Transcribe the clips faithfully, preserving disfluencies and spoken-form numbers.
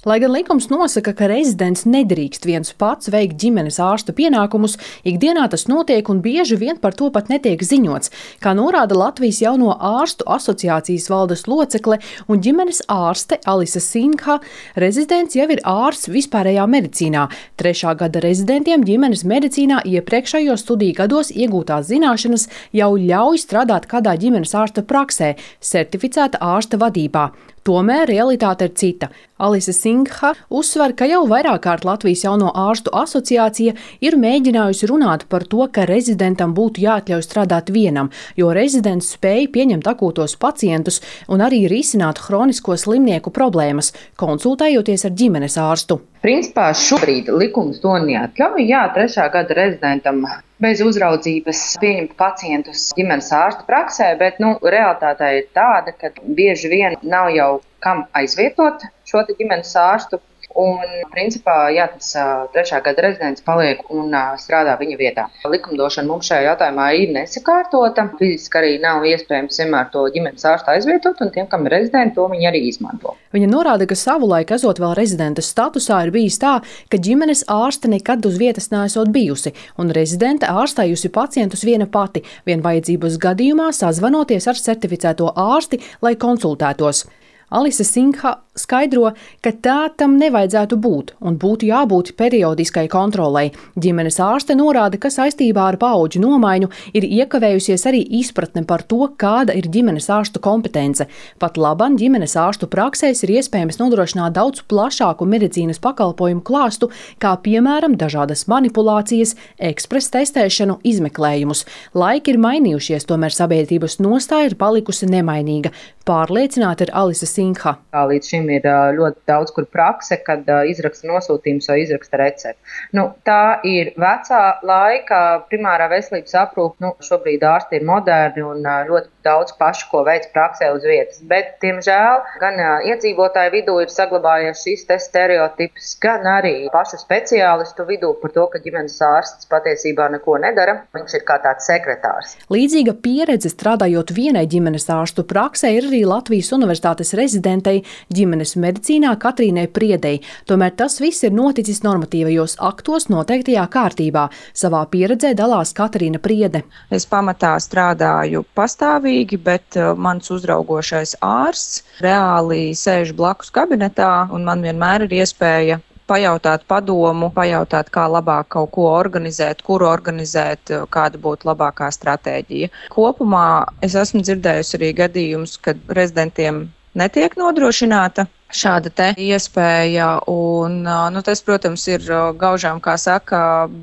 Lai gan likums nosaka, ka rezidents nedrīkst viens pats veikt ģimenes ārsta pienākumus, ikdienā tas notiek un bieži vien par to pat netiek ziņots. Kā norāda Latvijas Jauno ārstu asociācijas valdes locekle un ģimenes ārste Alise Sinkha, rezidents jau ir ārsts vispārējā medicīnā. Trešā gada rezidentiem ģimenes medicīnā iepriekšējos studiju gados iegūtās zināšanas jau ļauj strādāt kādā ģimenes ārsta praksē, certificēta ārsta vadībā. Tomēr realitāte ir cita. Alise Sinkha uzsver, ka jau vairāk kārt Latvijas Jauno ārstu asociācija ir mēģinājusi runāt par to, ka rezidentam būtu jāatļauj strādāt vienam, jo rezidents spēj pieņemt akūtos pacientus un arī risināt hronisko slimnieku problēmas, konsultējoties ar ģimenes ārstu. Principā šobrīd likums to neatļauj. Jā, trešā gada rezidentam bez uzraudzības pieņemt pacientus ģimenes ārsta praksē, bet nu, realitāte ir tāda, ka bieži vien nav jau kam aizvietot šo ģimenes ārstu. Un, principā, jā, tas trešā gada rezidents paliek un strādā viņa vietā. Likumdošana mums šajā jautājumā ir nesakārtota. Fiziski arī nav iespējams vienmēr to ģimenes ārstu aizvietot, un tiem, kam ir rezidenti, to viņi arī izmanto. Viņa norāda, ka savulaik, esot vēl rezidenta statusā, ir bijis tā, ka ģimenes ārste nekad uz vietas neesot bijusi, un rezidente ārstējusi pacientus viena pati, vien vajadzības gadījumā sazvanoties ar certificēto ārsti, lai konsultētos. Alise Sinkha skaidro, ka tā tam nevajadzētu būt un būtu jābūt periodiskai kontrolei. Ģimenes ārste norāda, ka saistībā ar paudžu nomaiņu ir iekavējusies arī izpratne par to, kāda ir ģimenes ārstu kompetence. Pat laban ģimenes ārstu praksēs ir iespējams nodrošināt daudz plašāku medicīnas pakalpojumu klāstu, kā piemēram dažādas manipulācijas, ekspresa testēšanu, izmeklējumus. Laiki ir mainījušies, tomēr sabiedrības nostāja ir palikusi nemainīga. Pārliecināta ir Alise Sinkha. Līdz šim ir ļoti daudz kur prakse, kad izraksta nosūtījums vai izraksta recepti. Nu, tā ir vecā laika primārā veselības aprūpe. Nu, šobrīd ārsti ir moderni un ļoti daudz pašu, ko veic praksē uz vietas. Bet, diemžēl, gan iedzīvotāju vidū ir saglabājies šis te stereotips, gan arī pašu speciālistu vidū par to, ka ģimenes ārsts patiesībā neko nedara. Viņš ir kā tāds sekretārs. Līdzīga pieredze strādājot vienai ģimenes ārstu praksē ir arī Latvijas Universitātes rezidentei ģimenes medicīnā Katrīnai Priedei. Tomēr tas viss ir noticis normatīvajos aktos noteiktajā kārtībā. Savā pieredzē dalās Katrīna Priede. Es pamatā strādāju pastāvīgi, bet mans uzraugošais ārsts reāli sēž blakus kabinetā, un man vienmēr ir iespēja pajautāt padomu, pajautāt, kā labāk kaut ko organizēt, kuru organizēt, kāda būtu labākā stratēģija. Kopumā es esmu dzirdējusi arī gadījumus, kad rezidentiem netiek nodrošināta šāda te iespēja, un nu, tas, protams, ir gaužām, kā saka,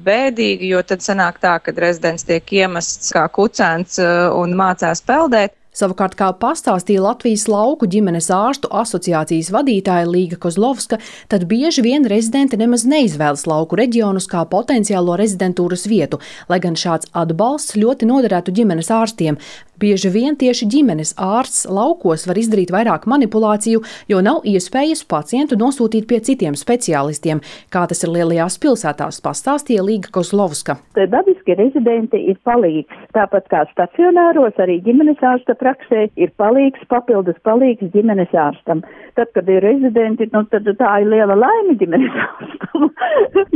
bēdīgi, jo tad sanāk tā, ka rezidents tiek iemests kā kucēns un mācās peldēt. Savukārt, kā pastāstīja Latvijas lauku ģimenes ārstu asociācijas vadītāja Līga Kozlovska, tad bieži vien rezidenti nemaz neizvēlas lauku reģionus kā potenciālo rezidentūras vietu, lai gan šāds atbalsts ļoti noderētu ģimenes ārstiem. Bieži vien tieši ģimenes ārsts laukos var izdarīt vairāk manipulāciju, jo nav iespējas pacientu nosūtīt pie citiem speciālistiem, kā tas ir lielajās pilsētās, pastāstīja Līga Kozlovska. Dabiski rezidenti ir palīgs, tāpat kā stacionāros arī ģimenes ārsta praksē ir palīgs, papildus palīgs ģimenes ārstam. Tad, kad ir rezidenti, nu, tad tā ir liela laime ģimenes ārstam,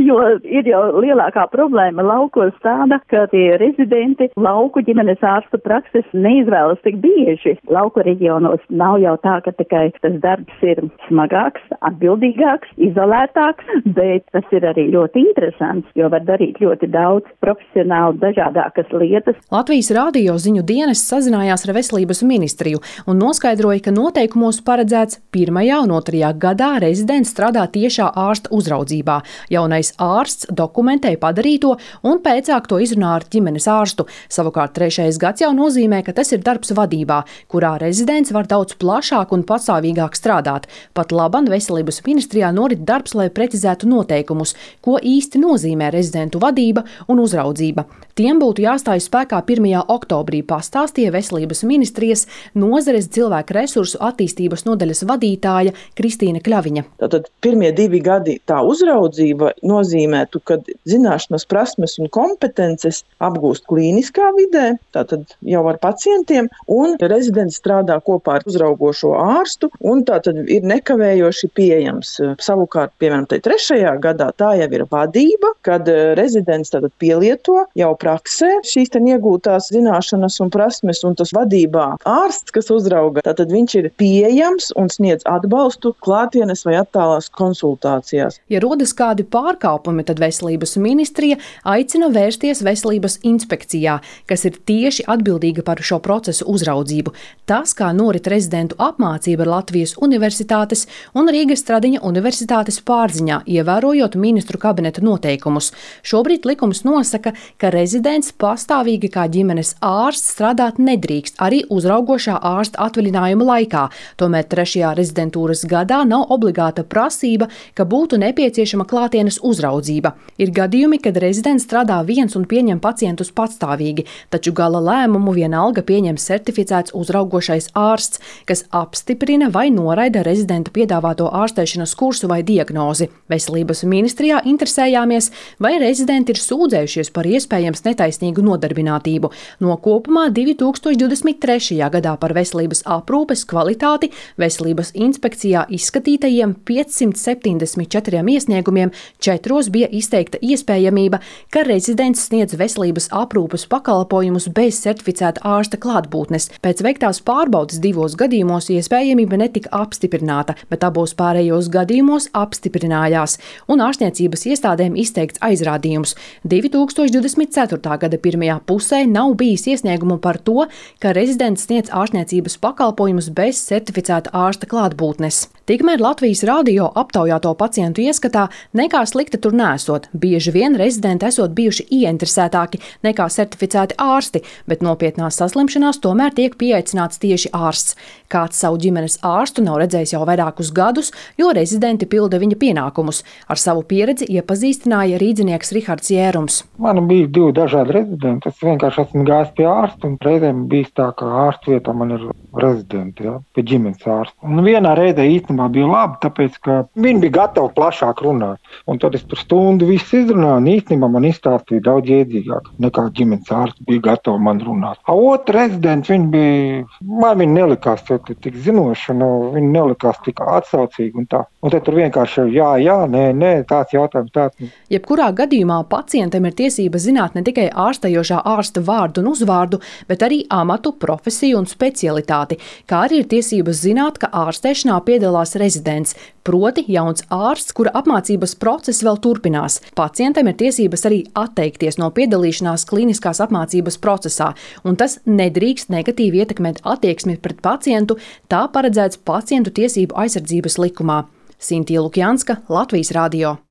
jo ir jau lielākā problēma laukos tāda, ka tie rezidenti lauku ģimenes ārsta prakses neizvēlas tik bieži. Lauku reģionos nav jau tā, ka tikai tas darbs ir smagāks, atbildīgāks, izolētāks, bet tas ir arī ļoti interesants, jo var darīt ļoti daudz profesionāli dažādākas lietas. Latvijas radio ziņu dienests sazinājās ar veselības ministriju un noskaidroja, ka noteikumos paredzēts pirmajā un otrajā gadā rezidents strādā tiešā ārsta uzraudzībā. Jaunais ārsts dokumentē padarīto un pēcāk to izrunā ar ģimenes ārstu. Savukārt trešais gads jau nozīmē, ka tas ir darbs vadībā, kurā rezidents var daudz plašāk un pastāvīgāk strādāt. Pat laban veselības ministrijā norit darbs, lai precizētu noteikumus, ko īsti nozīmē rezidentu vadība un uzraudzība. Tiem būtu jāstājas spēkā pirmajā oktobrī, pastāstīja veselības ministrijas nozares cilvēku resursu attīstības nodaļas vadītāja vadītāja Kristīna Kļaviņa. Tātad pirmie divi gadi tā uzraudzība nozīmētu, ka zināšanas, prasmes un kompetences apgūst klīniskā vidē, tātad jau ar pacientiem, un rezidents strādā kopā ar uzraugošo ārstu, un tātad ir nekavējoši pieejams. Savukārt, piemēram, tai trešajā gadā tā jau ir vadība, kad rezidents tātad pielieto jau praksē šīs ten iegūtās zināšanas un prasmes, un tas vadībā ārsts, kas uzrauga, tātad viņš ir pieejams un sniedz atbalstu klātienes vai attālās konsultācijās. Ja rodas kādi pārkāpumi, tad Veselības ministrija aicina vērsties Veselības inspekcijā, kas ir tieši atbildīga par šo procesu uzraudzību. Tas, kā norit rezidentu apmācība Latvijas Universitātes un Rīgas Stradiņa Universitātes pārziņā, ievērojot ministru kabineta noteikumus. Šobrīd likums nosaka, ka rezidents pastāvīgi kā ģimenes ārsts strādāt nedrīkst arī uzraugošā ārsta atvaļinājuma laikā. Tomēr trešajā rezidentūras gadā nav obligāta prasība, ka būtu nepieciešama klātienes uzraudzība. Ir gadījumi, kad rezidents strādā viens un pieņem pacientus patstāvīgi, taču gala lēmumu vienalga pieņem certificēts uzraugošais ārsts, kas apstiprina vai noraida rezidenta piedāvāto ārstēšanas kursu vai diagnozi. Veselības ministrijā interesējāmies, vai rezidenti ir sūdzējušies par iespējams netaisnīgu nodarbinātību. No kopumā divi tūkstoši divdesmit trešajā gadā par veselības aprūpes kvalitāti Veselības inspekcijā izskatītajiem piecsimt septiņdesmit četriem iesniegumiem četros bija izteikta iespējamība, ka rezidents sniedz veselības aprūpes pakalpojumus bez certificēta ārsta klātbūtnes. Pēc veiktās pārbaudes divos gadījumos iespējamība netika apstiprināta, bet abos pārējos gadījumos apstiprinājās, un ārstniecības iestādēm izteikts aizrādījums. divi tūkstoši divdesmit ceturtā gada pirmajā pusē nav bijis iesniegumu par to, ka rezidents sniedz ārstniecības pakalpojumus bez certificēta ārsta klātbūtnes. Tikmēr Latvijas radio aptaujāto pacientu ieskatā nekā slikta tur nesot. Bieži vien rezidenti esot bijuši ieinteresētāki nekā certificēti ārsti, bet nopietnās saslimšanās tomēr tiek pieaicināts tieši ārsts. Kāds savu ģimenes ārstu nav redzējis jau vairākus gadus, jo rezidenti pilda viņa pienākumus. Ar savu pieredzi iepazīstināja rīdzinieks Rihards Jērums. Man bija divi dažādi rezidenti. Es vienkārši esmu gājis pie ārsta, un reizēm bijis tā, ka ārsta vietā man ir rezidenti, ja, pie ģimenes ārsta. Un vienā reizē īstenībā bija labi, tāpēc, ka viņi bija gatavi plašāk runāt. Un tad es tur stundu visu izrunāju, un īstenībā man izstāstīja daudz iedzīgāk, nekā ģimenes ārsts bija gatavi man runāt. A otru rezidenti, viņi bija, man viņi nelikās tik zinoši, un viņi nelikās tik atsaucīgi un tā. Un tad tur vienkārši jā, jā, nē, nē, tāds jautājums, tāds. Jebkurā gadījumā pacientam ir tiesības zināt ne tikai ārstējošā ārsta vārdu un uzvārdu, bet arī amatu, profesiju un specialitāti, kā arī ir tiesības zināt, ka ārstēšanā piedalās rezidents, proti jauns ārsts, kura apmācības process vēl turpinās. Pacientam ir tiesības arī atteikties no piedalīšanās klīniskās apmācības procesā, un tas nedrīkst negatīvi ietekmēt attieksmi pret pacientu, tā paredzēts pacientu tiesību aizsardzības likumā. Sintija Lukjanska, Latvijas radio.